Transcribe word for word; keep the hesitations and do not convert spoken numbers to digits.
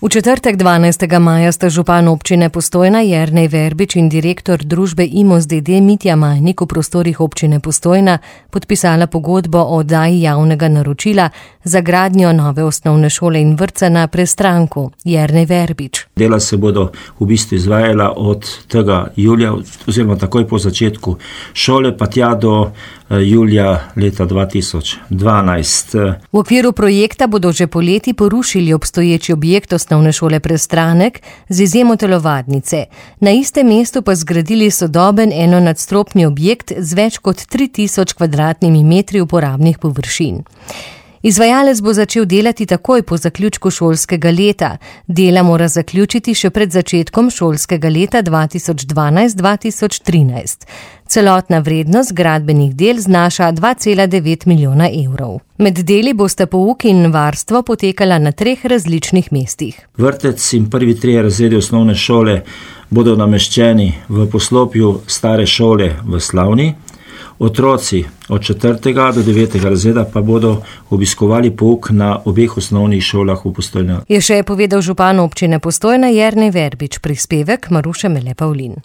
V četrtek dvanajstega maja sta župan občine Postojna Jernej Verbič in direktor družbe Imos d. d. Mitja Majnik v prostorih občine Postojna podpisala pogodbo o oddaji javnega naročila za gradnjo nove osnovne šole in vrtca na Prestranku. Jernej Verbič. Dela se bodo v bistvu izvajala od tega julija, oziroma takoj po začetku šole, pa tja do julija leta dva tisoč dvanajst. V okviru projekta bodo že poleti porušili obstoječi objekt osnovne šole Prestranek z izjemo telovadnice. Na istem mestu pa zgradili sodoben enonadstropni objekt z več kot tri tisoč kvadratnimi metri uporabnih površin. Izvajalec bo začel delati takoj po zaključku šolskega leta. Dela mora zaključiti še pred začetkom šolskega leta dva tisoč dvanajst dva tisoč trinajst. Celotna vrednost gradbenih del znaša dva cela devet milijona evrov. Med deli bosta pouk in varstvo potekala na treh različnih mestih. Vrtec in prvi trije razredi osnovne šole bodo nameščeni v poslopju stare šole v Slavni. Otroci od četrtega do devetega razreda pa bodo obiskovali pouk na obeh osnovnih šolah v Postojni. Je še povedal župan občine Postojna Jernej Verbič, prispevek Maruše Mele Pavlin.